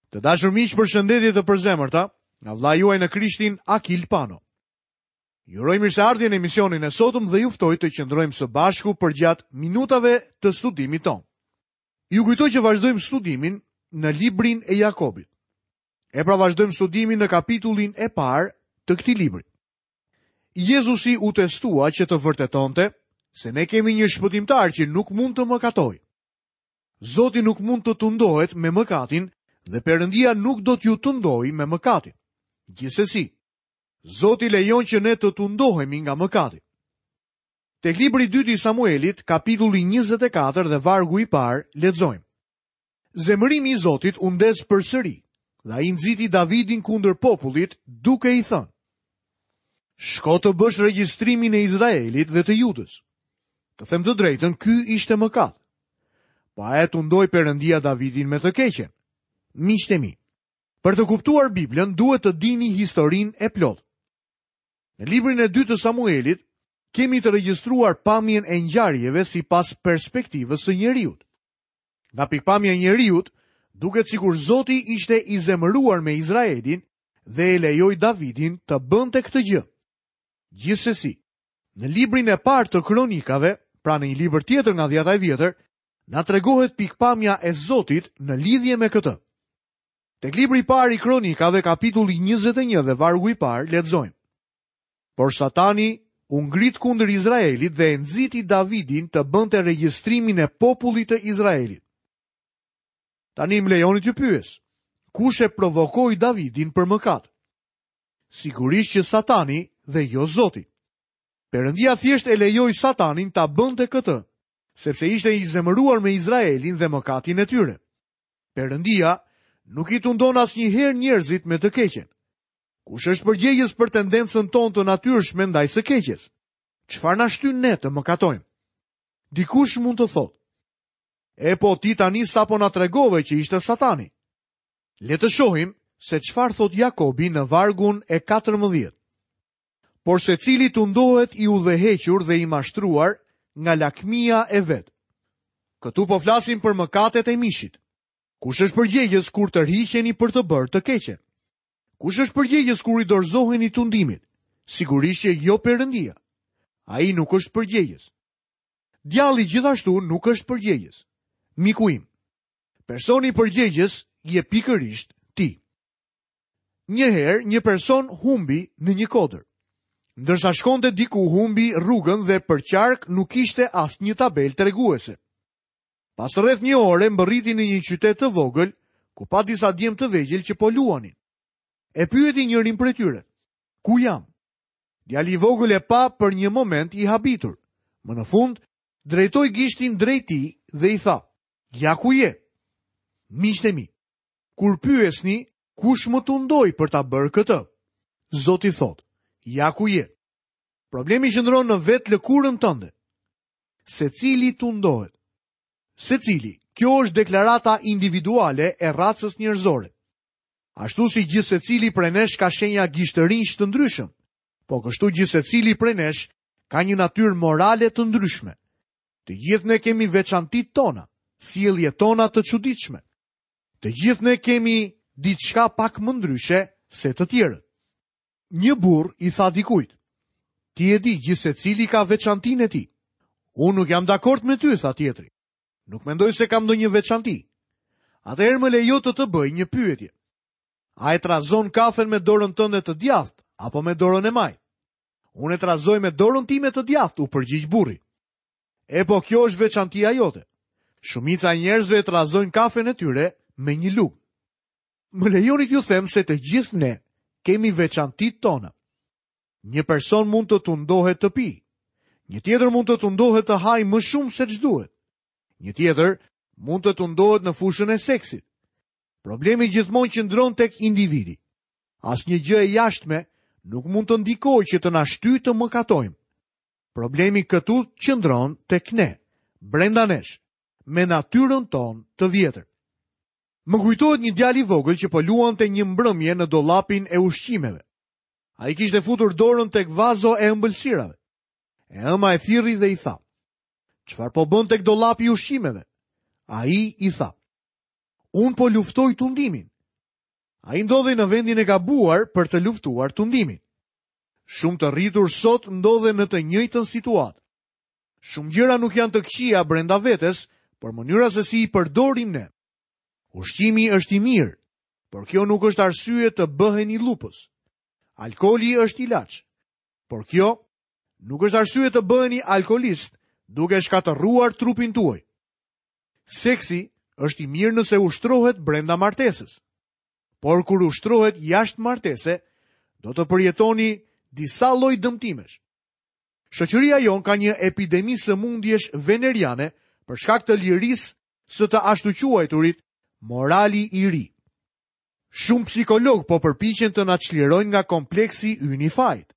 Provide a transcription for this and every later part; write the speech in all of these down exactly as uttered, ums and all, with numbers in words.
Të dashur miq, përshëndetje të përzemërta nga vëllai juaj në Krishtin Akil Pano. Ju uroj mirëseardhjen në emisionin e sotëm dhe ju ftoj të qëndrojmë së bashku përgjatë minutave të studimit tonë. Ju kujtoj që vazhdojmë studimin në librin e Jakobit. E pra vazhdojmë studimin në kapitullin e parë të këtij libri. Jezusi u testua që të vërtetonte se ne kemi një shpëtimtar që nuk mund të mëkatojë. Zoti nuk mund të tundohet me mëkatin dhe Perëndia nuk do t'ju tundojë me mëkatin. Gjithsesi, Zoti lejon që ne të tundohemi nga mëkati. Tek libri i dytë i Samuelit, kapitulli njëzet e katër dhe vargu i parë, lexojmë. Zemërimi i Zotit u ndez përsëri, dhe ai nxiti Davidin kundër popullit, duke i thënë: Shko të bësh regjistrimin e Izraelit dhe të Judës. Të them të drejtën, ky ishte mëkat. Po a e tundoi Perëndia Davidin me të keqen? Miqtë e mi, për të kuptuar Biblën duhet të dini historinë e plotë. Në librin e dytë të Samuelit kemi të regjistruar pamjen e ngjarjeve sipas perspektivës së njeriut. Nga pikpamja e njeriut, duket sikur Zoti ishte i zemëruar me Izraelin dhe e lejoi Davidin të bënte këtë gjë. Gjithsesi, në librin e parë të Kronikave, pra në një libër tjetër nga dhjata e vjetër, na tregohet pikpamja e Zotit në lidhje me këtë. Tek libri i parë i Kronikave, kapitulli njëzet e një dhe vargu i parë, lexojmë. Por Satani u ngrit kundër Izraelit dhe e nxiti Davidin të bënte regjistrimin e popullit të Izraelit. Tani më lejoni t'ju pyes, kush e provokoi Davidin për mëkat? Sigurisht që Satani dhe jo Zoti. Perëndia thjesht e lejoi Satanin ta bënte këtë, sepse ishte i zemëruar me Izraelin dhe mëkatin e tyre. Perëndia nuk i tundon asnjëherë njerëzit me të keqen. Kush është përgjegjës për tendencën tonë të natyrshme ndaj së keqes? Çfarë na shtyn ne të mëkatojmë? Dikush mund të thotë: E po ti tani sapo na tregove që ishte Satani. Le të shohim se çfarë thot Jakobi në vargun e katërmbëdhjetë. Por secili tundohet i udhëhequr dhe i mashtruar nga lakmia e vet. Këtu po flasim për mëkatet e mishit. Kush është përgjegjës kur tërhiqeni për të bërë të keqen? Kush është përgjegjës kur i dorëzoheni tundimit? Sigurisht që jo Perëndia. Ai nuk është përgjegjës. Djalli gjithashtu nuk është përgjegjës. Miku im, personi përgjegjës je pikërisht ti. Një herë një person humbi në një kodër. Ndërsa shkonte diku humbi rrugën dhe për qark nuk ishte asnjë tabelë treguese. Pas rreth një ore mbërriti në një qytet të vogël, ku pa disa djem të vegjël që po luanin. E pyeti njërin prej tyre: Ku jam? Djali i vogël e pa për një moment i habitur. Më në fund, drejtoi gishtin drejt tij dhe i tha: Ja ku je? Miqtë e mi, kur pyesni, kush më tundoi për ta bërë këtë? Zoti thotë: Ja ku je. Problemi qëndron në vetë lëkurën tënde. Secili tundohet. Secili, kjo është deklarata individuale e racës njerëzore. Ashtu si gjithë secili prej nesh ka shenja gishtërinj të ndryshëm, po kështu gjithë secili prej nesh ka një natyrë morale të ndryshme. Të gjithë ne kemi veçantitë tona, sjelljet tona të çuditshme. Të gjithë ne kemi diçka pak më ndryshe se të tjerët. Një burr i tha dikujt: Ti e di, gjithë secili ka veçantinë e tij. Unë nuk jam dakord me ty, tha tjetri. Nuk mendoj se kam ndonjë veçanti. Atëherë më lejo të të bëj një pyetje. A e trazon kafen me dorën tënde të djathtë apo me dorën e majtë? Unë e trazoj me dorën time të djathtë, u përgjigj burri. E po kjo është veçantia jote. Shumica e njerëzve e trazojnë kafen e tyre me një lugë. Më lejoni t'ju them se të gjithë ne kemi veçantitë tona. Një person mund të tundohet të pijë. Një tjetër mund të tundohet të hajë më shumë se ç'duhet. Një tjetër mund të tundohet në fushën e seksit. Problemi gjithmonë qëndron tek individi. Asnjë gjë e jashtme nuk mund të ndikojë që të na shtyjë të mëkatojmë. Problemi këtu qëndron tek ne, brenda nesh, me natyrën tonë të vjetër. Më kujtohet një djalë i vogël që po luante një mbrëmje në dollapin e ushqimeve. Ai kishte futur dorën tek vazo e ëmbëlsirave. E ëma e thirri dhe i tha: Çfarë po bën tek dollapi i ushqimeve? Ai i tha: Unë po luftoj tundimin. Ai ndodhej në vendin e gabuar për të luftuar tundimin. Shumë të rritur sot ndodhen në të njëjtën situatë. Shumë gjëra nuk janë të këqija brenda vetes, por mënyra se si i përdorim ne. Ushqimi është i mirë, por kjo nuk është arsye të bëheni lupës. Alkooli është ilaç, por kjo nuk është arsye të bëheni alkoolist duke shkatërruar trupin tuaj. Seksi është i mirë nëse ushtrohet brenda martesës. Por kur ushtrohet jashtë martese, do të përjetoni disa lloj dëmtimesh. Shoqëria jonë ka një epidemi sëmundjesh veneriane për shkak të lirisë së të ashtuquajturit morali i ri. Shumë psikolog po përpiqen të na çlirojnë nga kompleksi ynë i fajit.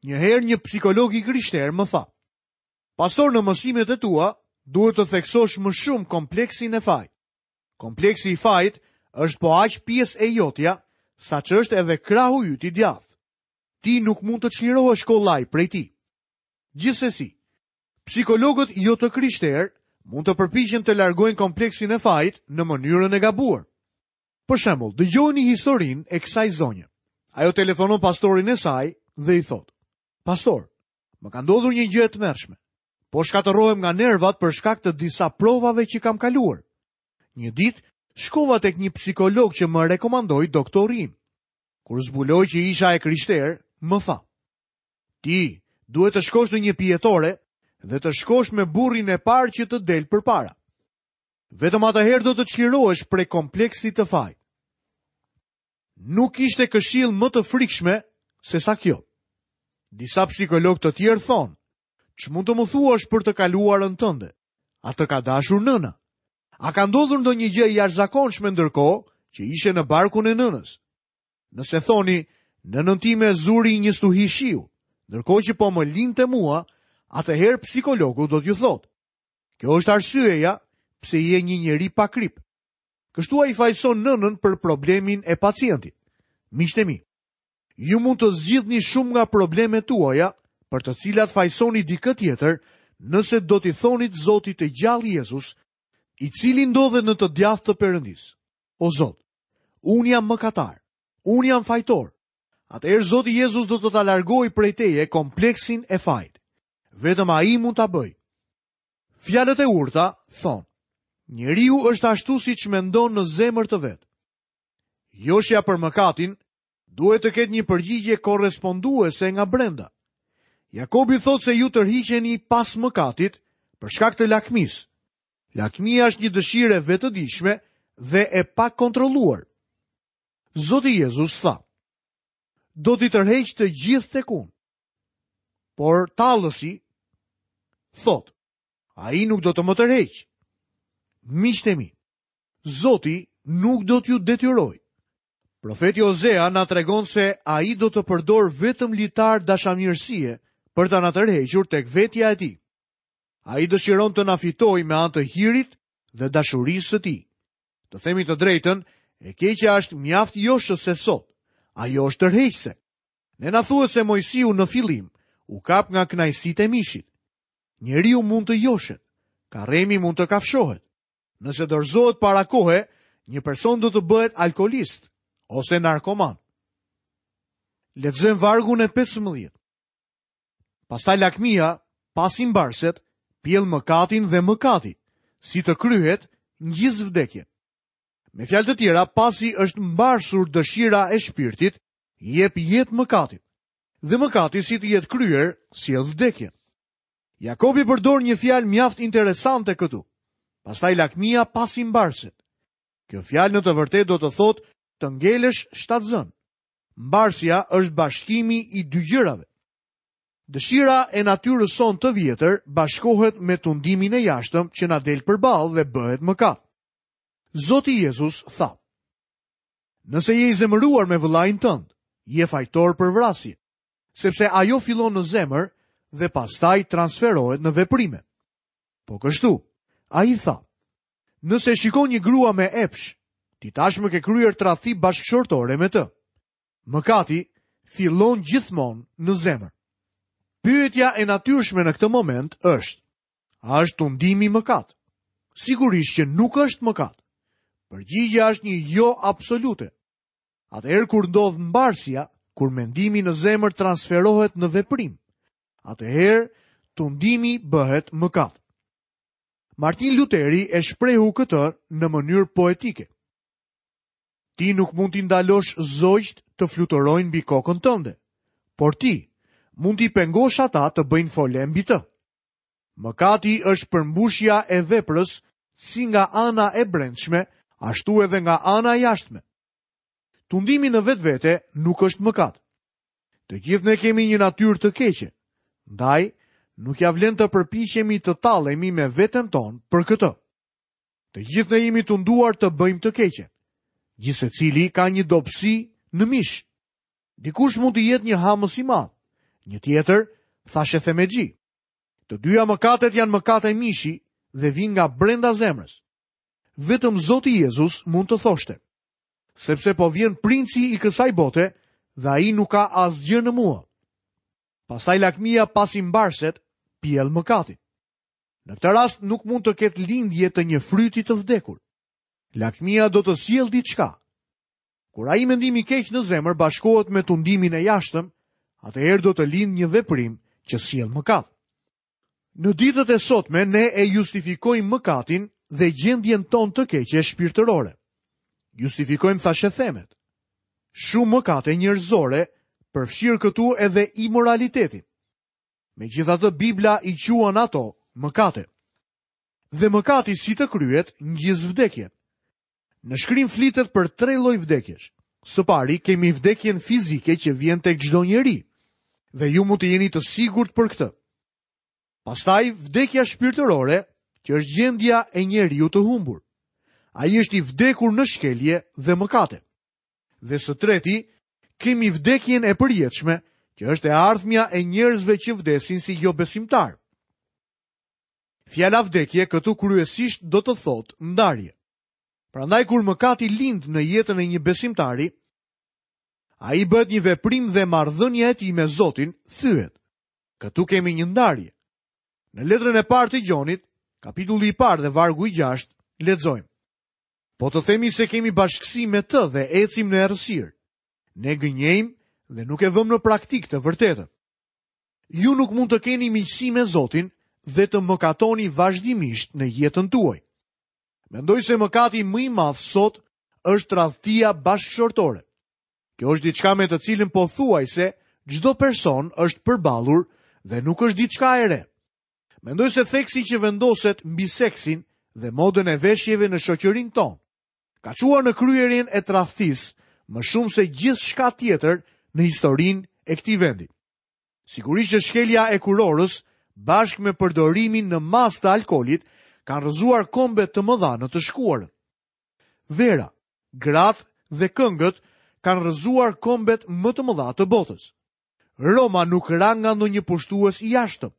Një herë një psikolog i krishterë më tha: "Pastor, në mësimet e tua duhet të theksosh më shumë kompleksin e fajit. Kompleksi i fajit është po aq pjesë e jotja sa që është edhe krahu yt i djathtë. Ti nuk mund të çlirohesh kollaj prej tij." Gjithsesi, psikologët jo të krishterë mund të përpiqen të largojnë kompleksin e fajit në mënyrën e gabuar. Për shembull, dëgjoni historinë e kësaj zonje. Ajo telefonon pastorin e saj dhe i thotë: "Pastor, më ka ndodhur një gjë e tmerrshme. Po shkatërrohem nga nervat për shkak të disa provave që kam kaluar. Një ditë shkova tek një psikolog që më rekomandoi doktori im. Kur zbuloi që isha e krishterë, më tha: Ti duhet të shkosh në një pijetore dhe të shkosh me burrin e parë që të del përpara. Vetëm atëherë do të çlirohesh prej kompleksit të fajit." Nuk ishte këshill më të frikshme se sa kjo. Disa psikologë të tjerë thonë: "Ç'mund të më thuash për të kaluarën tënde? A të ka dashur nëna? A ka ndodhur ndonjë gjë e jashtëzakonshme ndërkohë që ishe në barkun e nënës?" Nëse thoni: "Nënën time zuri një stuhi shiu, ndërkohë që po më linte mua", atëherë psikologu do t'ju thotë: "Kjo është arsyeja pse je një njeri pa krip." Kështu ai fajson nënën për problemin e pacientit. Miqtë e mi, ju mund të zgjidhni shumë nga problemet tuaja për të cilat fajsoni dikë tjetër, nëse do t'i thonit Zotit të gjallë Jezus, i cili ndodhet në të djathtë të Perëndisë: "O Zot, unë jam mëkatar, unë jam fajtor." Atëherë Zoti Jezus do të ta largojë prej teje kompleksin e fajit. Vetëm ai mund ta bëjë. Fjalët e urta thonë: njeriu është ashtu siç mendon në zemër të vet. Joshja për mëkatin duhet të ketë një përgjigje korresponduese nga brenda. Jakobi thotë se ju tërhiqeni pas mëkatit për shkak të lakmisë. Lakmia është një dëshirë e vetëdijshme dhe e pakontrolluar. Zoti Jezus tha: "Do t'i tërheq të gjithë tek unë." Por tallësi thotë: "Ai nuk do të më tërheq." Miqtë e mi, Zoti nuk do t'ju detyrojë. Profeti Ozea na tregon se ai do të përdor vetëm litar dashamirësie për ta na tërhequr tek vetja e tij. Ai dëshiron të na fitojë me anë të hirit dhe dashurisë së tij. Të themi të drejtën, e keqja është mjaft joshëse sot. Ajo është tërheqëse. Ne na thuhet se Moisiu në fillim u kap nga kënaqësitë e mishit. Njeriu mund të joshet, karremi mund të kafshohet. Nëse dorëzohet para kohe, një person do të bëhet alkoolist ose narkoman. Lexojmë vargun e pesëmbëdhjetë. Pastaj lakmia, pasi mbarset, pjell mëkatin dhe mëkati, si të kryhet, ngjiz vdekjen. Me fjalë të tjera, pasi është mbarsur dëshira e shpirtit, jep jetë mëkatit. Dhe mëkati si të jetë kryer, sjell vdekjen. Jakobi përdor një fjalë mjaft interesante këtu. Pastaj lakmia pasi mbarset. Kjo fjalë në të vërtetë do të thotë të ngelesh shtatzën. Mbarsja është bashkimi i dy gjërave. Dëshira e natyrës sonë të vjetër bashkohet me tundimin e jashtëm që na del përballë dhe bëhet mëkat. Zoti Jezus tha: "Nëse je i zemëruar me vëllain tënd, je fajtor për vrasje, sepse ajo fillon në zemër dhe pastaj transferohet në veprime." Po kështu, ai tha: "Nëse shikon një grua me epsh, ti tashmë ke kryer tradhti bashkëshortore me të." Mëkati fillon gjithmonë në zemër. Pyetja e natyrshme në këtë moment është: a është tundimi mëkat? Sigurisht që nuk është mëkat. Përgjigjja është një jo absolute. Atëherë kur ndodh mbarsja, kur mendimi në zemër transferohet në veprim, atëherë tundimi bëhet mëkat. Martin Luteri e shprehu këtë në mënyrë poetike. Ti nuk mund t'i ndalosh zogjt të fluturojnë mbi kokën tënde, por ti mund t'i pengosh ata të bëjnë fole mbi të. Mëkati është përmbushja e veprës si nga ana e brendshme, ashtu edhe nga ana e jashtme. Tundimi në vetvete nuk është mëkat. Të gjithë ne kemi një natyrë të keqe. Ndaj, nuk ja vlen të përpiqemi të tallemi me veten tonë për këtë. Të gjithë ne jemi tunduar të bëjmë të keqen. Gjithsecili ka një dobësi në mish. Dikush mund të jetë një hamës i madh, një tjetër thashethemexhi. Të dyja mëkatet janë mëkate mishi dhe vijnë nga brenda zemrës. Vetëm Zoti Jezus mund të thoshte, sepse po vjen princi i kësaj bote dhe ai nuk ka asgjë në mua. Pastaj lakmia pasi mbarset, pjell mëkatin. Në këtë rast nuk mund të ketë lindje të një fryti të vdekur. Lakmia do të sjellë diçka. Kur ai mendim i keq në zemër bashkohet me tundimin e jashtëm, atëherë do të lindë një veprim që sjell mëkat. Në ditët e sotme ne e justifikojmë mëkatin dhe gjendjen tonë të keqe shpirtërore. Justifikojmë thashethemet. Shumë mëkate njerëzore, përfshirë këtu edhe imoralitetin. Megjithatë Bibla i quan ato mëkate. Dhe mëkati si të kryet ngjiz vdekjen. Në shkrim flitet për tre lloj vdekjesh. Së pari kemi vdekjen fizike që vjen tek çdo njeri, dhe ju mund të jeni të sigurt për këtë. Pastaj vdekja shpirtërore, që është gjendja e njeriu të humbur. Ai është i vdekur në shkelje dhe mëkate. Dhe së treti, kemi vdekjen e përjetshme, që është e ardhmja e njerëzve që vdesin si jobesimtar. Fjala vdekje këtu kryesisht do të thotë ndarje. Prandaj kur mëkati lind në jetën e një besimtari, ai bëhet një veprim dhe marrëdhënia e tij me Zotin thyhet. Këtu kemi një ndarje. Në letrën e parë të Gjonit, kapitulli i parë dhe vargu i gjashtë, lexojmë: Po të themi se kemi bashkësi me të dhe ecim në errësirë, ne gënjejmë dhe nuk e vëmë në praktikë të vërtetën. Ju nuk mund të keni miqësi me Zotin dhe të mëkatoni vazhdimisht në jetën tuaj. Mendoj se mëkati më i madh sot është tradhtia bashkëshortore. Kjo është diçka me të cilën pothuajse çdo person është përballur dhe nuk është diçka e re. Mendoj se theksi që vendoset mbi seksin dhe modën e veshjeve në shoqërinë tonë ka çuar në kryerjen e tradhtisë më shumë se gjithçka tjetër në historinë e këtij vendi. Sigurisht që shkelja e kurorës bashkë me përdorimin në masë të alkoolit kanë rrëzuar kombe të mëdha në të shkuarën. Vera, gratë dhe këngët kanë rrëzuar kombet më të mëdha të botës. Roma nuk ra nga ndonjë pushtues i jashtëm.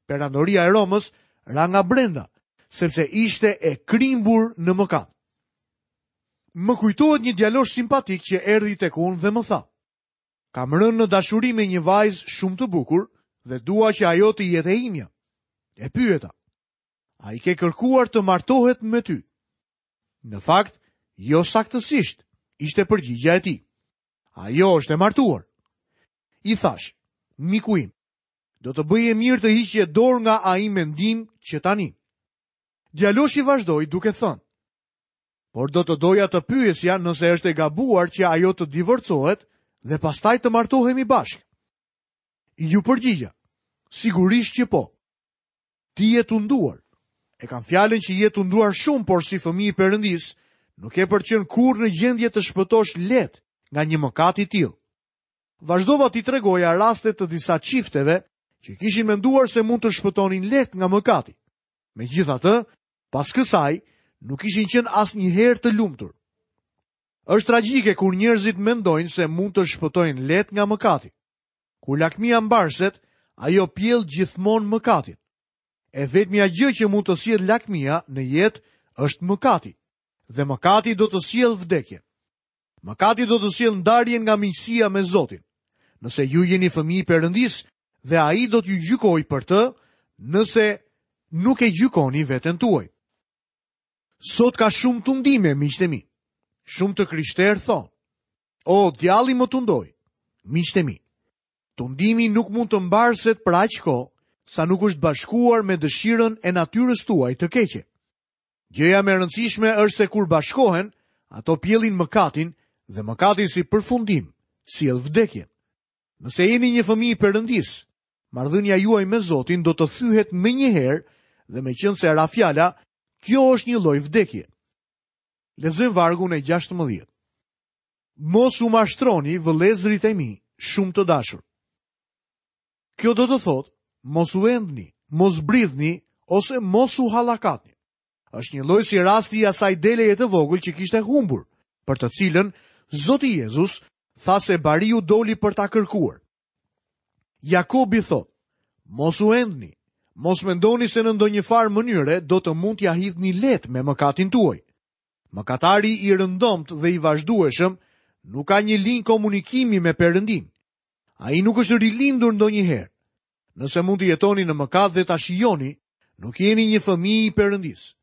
Perandoria e Romës ra nga brenda, sepse ishte e krimbur në mëkat. Më kujtohet një djalosh simpatik që erdhi tek unë dhe më tha: Kam rënë në dashuri me një vajzë shumë të bukur dhe dua që ajo të jetë e imja. E pyeta: A i ke kërkuar të martohet me ty? Në fakt, jo saktësisht, ishte përgjigja e tij. Ajo është e martuar. I thash: Miku im, do të bëje mirë të hiqje dorë nga ai mendim që tani. Djaloshi vazhdoi duke thënë: Por do të doja të pyesja nëse është e gabuar që ajo të divorcohet dhe pastaj të martohemi bashkë. Ju përgjigja: Sigurisht që po. Ti je tunduar. E kam fjalën që je tunduar shumë, por si fëmijë i Perëndis, nuk e për qenë kurrë në gjendje të shpëtosh lehtë nga një mëkat i tillë. Vazhdova t'i tregoja raste të disa çifteve që kishin menduar se mund të shpëtonin lehtë nga mëkati. Megjithatë, pas kësaj, nuk ishin qenë asnjëherë të lumtur. Është tragjike kur njerëzit mendojnë se mund të shpëtojnë lehtë nga mëkati. Kur lakmia mbarset, ajo pjell gjithmonë mëkatin. E vetmja gjë që mund të sjellë lakmia në jetë është mëkati, dhe mëkati do të sjellë vdekjen. Mëkati do të sjellë ndarjen nga miqësia me Zotin. Nëse ju jeni fëmijë i Perëndisë dhe ai do t'ju gjykojë për të, nëse nuk e gjykoni veten tuaj. Sot ka shumë tundime, miqtë e mi. Shumë të krishterë thonë: O, djalli më tundoi. Miqtë e mi, tundimi nuk mund të mbarset për aq kohë sa nuk është bashkuar me dëshirën e natyrës tuaj të keqe. Gjëja më e rëndësishme është se kur bashkohen, ato pjellin mëkatin dhe mëkati si përfundim sjell vdekjen. Nëse jeni një fëmijë i Perëndisë, marrëdhënia juaj me Zotin do të thyhet menjëherë dhe meqenëse ra fjala, kjo është një lloj vdekje. Lexojmë vargun e gjashtëmbëdhjetë. Mos u mashtroni, vëllezërit e mi, shumë të dashur. Kjo do të thotë, mos u endni, mos bridhni ose mos u hallakatni. Është një lloj si rasti i asaj deleje të vogël që kishte humbur, për të cilën Zoti Jezus tha se bariu doli për ta kërkuar. Jakobi thotë, mos u endni, mos mendoni se në ndonjë farë mënyre do të mund t'ja hidhni lehtë me mëkatin tuaj. Mëkatari i rëndomt dhe i vazhdueshëm nuk ka një linjë komunikimi me Perëndin. Ai nuk është rilindur ndonjëherë. Nëse mund të jetoni në mëkat dhe ta shijoni, nuk jeni një fëmijë i Perëndisë.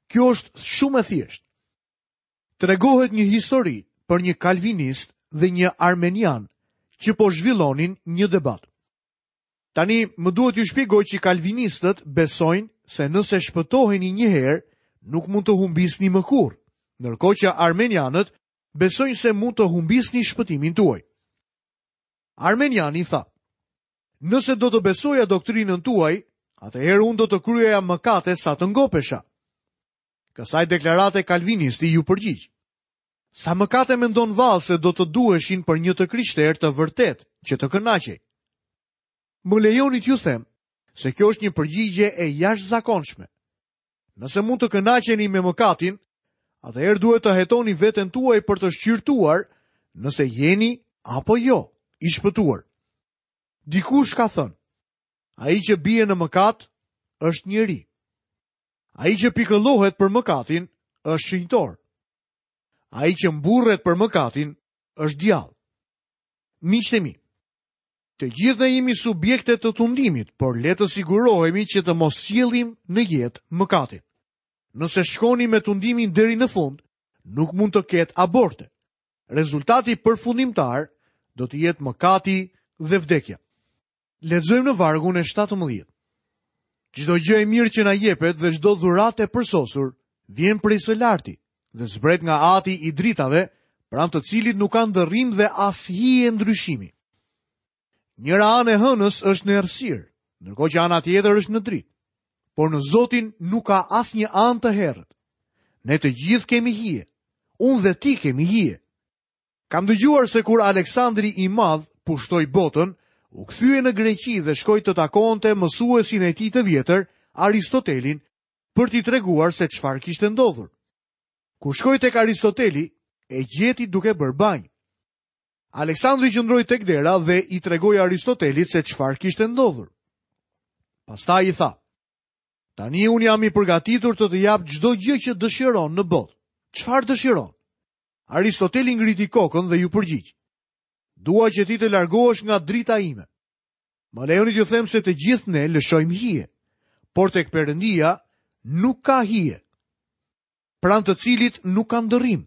Kjo është shumë e thjeshtë. Tregohet një histori për një kalvinist dhe një armenian që po zhvillonin një debat. Tani më duhet t'ju shpjegoj që kalvinistët besojnë se nëse shpëtoheni një herë, nuk mund të humbisni më kurrë, ndërkohë që armenianët besojnë se mund të humbisni shpëtimin tuaj. Armeniani tha: Nëse do të besoja doktrinën tuaj, atëherë unë do të kryeja mëkate sa të ngopesha. Kësaj deklarate kalvinisti ju përgjigj: Sa mëkate mendon vallë se do të duheshin për një të krishterë të vërtet që të kënaqej? Më lejoni t'ju them se kjo është një përgjigje e jashtëzakonshme. Nëse mund të kënaqeni me mëkatin, atëherë duhet të hetoni veten tuaj për të shqyrtuar nëse jeni apo jo i shpëtuar. Dikush ka thënë, ai që bie në mëkat është njeri. Ai që pikëllohet për mëkatin është shenjtor. Ai që mburret për mëkatin është djall. Miqtë e mi, të gjithë ne jemi subjekte të tundimit, por le të sigurohemi që të mos sjellim në jetë mëkatin. Nëse shkoni me tundimin deri në fund, nuk mund të ketë aborte. Rezultati përfundimtar do të jetë mëkati dhe vdekja. Lexojmë në vargun e shtatëmbëdhjetë. Çdo gjë e mirë që na jepet dhe çdo dhuratë e përsosur vjen prej së larti dhe zbret nga Ati i dritave, pranë të cilit nuk ka ndërrim dhe as hije ndryshimi. Njëra anë e hënës është në errësirë, ndërkohë që ana tjetër është në dritë. Por në Zotin nuk ka asnjë anë të herët. Ne të gjithë kemi hije. Unë dhe ti kemi hije. Kam dëgjuar se kur Aleksandri i Madh pushtoi botën, u kthye në Greqi dhe shkoi të takonte mësuesin e tij të vjetër, Aristotelin, për t'i treguar se çfarë kishte ndodhur. Kur shkoi tek Aristoteli, e gjeti duke bërë banjë. Aleksandri qëndroi tek dera dhe i tregoi Aristotelit se çfarë kishte ndodhur. Pastaj i tha: Tani unë jam i përgatitur të të jap çdo gjë që dëshiron në botë. Çfarë dëshiron? Aristoteli ngriti kokën dhe ju përgjigj: Dua që ti të largohesh nga drita ime. Më lejoni t'ju them se të gjithë ne lëshojmë hije, por tek Perëndia nuk ka hije, pranë të cilit nuk ka ndërrim.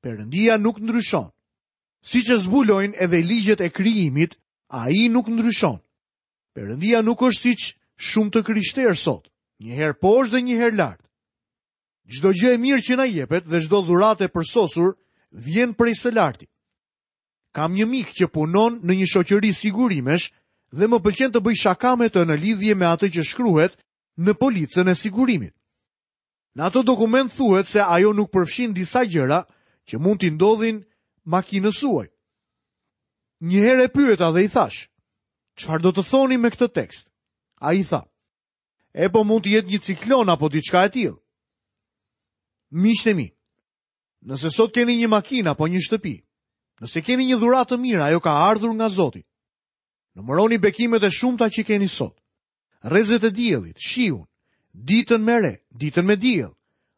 Perëndia nuk ndryshon. Siç e zbulojnë edhe ligjet e krijimit, ai nuk ndryshon. Perëndia nuk është siç shumë të krishterë sot, një herë poshtë dhe një herë lart. Çdo gjë e mirë që na jepet dhe çdo dhuratë e përsosur vjen prej së larti. Kam një mik që punon në një shoqëri sigurimesh dhe më pëlqen të bëj shaka me të në lidhje me atë që shkruhet në policën e sigurimit. Në atë dokument thuhet se ajo nuk përfshin disa gjëra që mund t'i ndodhin makinës suaj. Një herë e pyeta dhe i thash: Çfarë do të thoni me këtë tekst? Ai tha: E po mund të jetë një ciklon apo diçka e tillë. Miqtë e mi, nëse sot keni një makinë apo një shtëpi, nëse keni një dhuratë të mirë, ajo ka ardhur nga Zoti. Numëroni bekimet e shumta që keni sot. Rrezet e diellit, shiun, ditën me re, ditën me diell,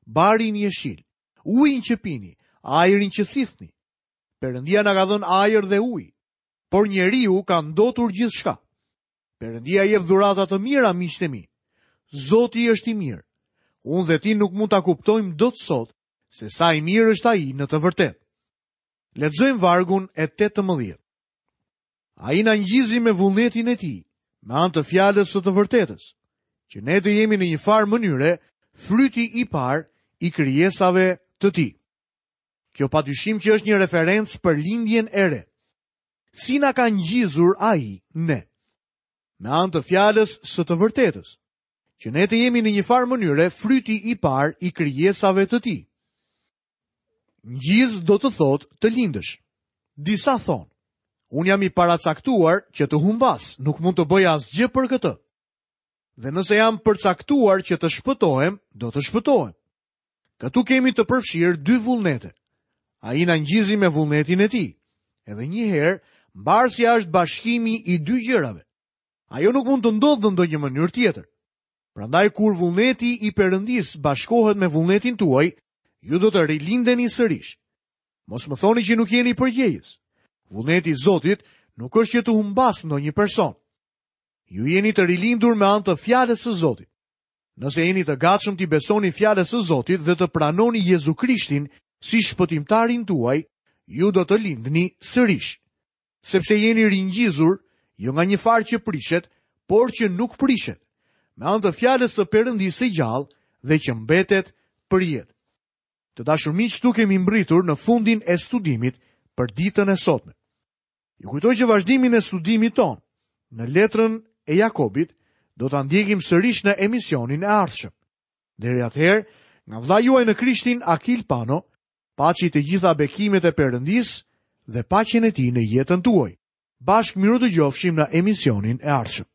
barin jeshil, ujin që pini, ajrin që thithni. Perëndia na ka dhënë ajër dhe ujë, por njeriu ka ndotur gjithçka. Perëndia jep dhurata të mira, miqtë e mi. Zoti është i mirë. Unë dhe ti nuk mund ta kuptojmë dot sot se sa i mirë është ai në të vërtetë. Lexojmë vargun e tetëmbëdhjetë. Ai na ngjizi me vullnetin e tij, me anë të fjalës së të vërtetës, që ne të jemi në një farë mënyre fryti i parë i krijesave të tij. Kjo padyshim që është një referencë për lindjen e re. Si na ka ngjizur ai ne? Me anë të fjalës së të vërtetës, që ne të jemi në një farë mënyre fryti i parë i krijesave të tij. Ngjiz do të thotë të lindësh. Disa thonë, unë jam i paracaktuar që të humbas, nuk mund të bëj asgjë për këtë. Dhe nëse jam përcaktuar që të shpëtohem, do të shpëtohem. Këtu kemi të përfshirë dy vullnete. Ai na ngjizi me vullnetin e tij. Edhe një herë, mbarësia është bashkimi i dy gjërave. Ajo nuk mund të ndodhë në ndonjë mënyrë tjetër. Prandaj kur vullneti i Perëndisë bashkohet me vullnetin tuaj, ju do të rilindeni sërish. Mos më thoni që nuk jeni përgjegjës. Vullneti i Zotit nuk është që të humbas ndonjë person. Ju jeni të rilindur me anë të fjalës së Zotit. Nëse jeni të gatshëm t'i besoni fjalës së Zotit dhe të pranoni Jezu Krishtin si shpëtimtarin tuaj, ju do të lindni sërish. Sepse jeni ringjizur, jo nga një farë që prishet, por që nuk prishet, me anë të fjalës së Perëndisë së gjallë dhe që mbetet për jetë. Të dashur miq, këtu kemi mbritur në fundin e studimit për ditën e sotme. Ju kujtoj që vazhdimin e studimit ton në letrën e Jakobit do ta ndjekim sërish në emisionin e ardhshëm. Deri atëherë, nga vëllai juaj në Krishtin Akil Pano, paçi të gjitha bekimet e Perëndisë dhe paqen e tij në jetën tuaj. Bashkë mirudëgjofshim në emisionin e ardhshëm.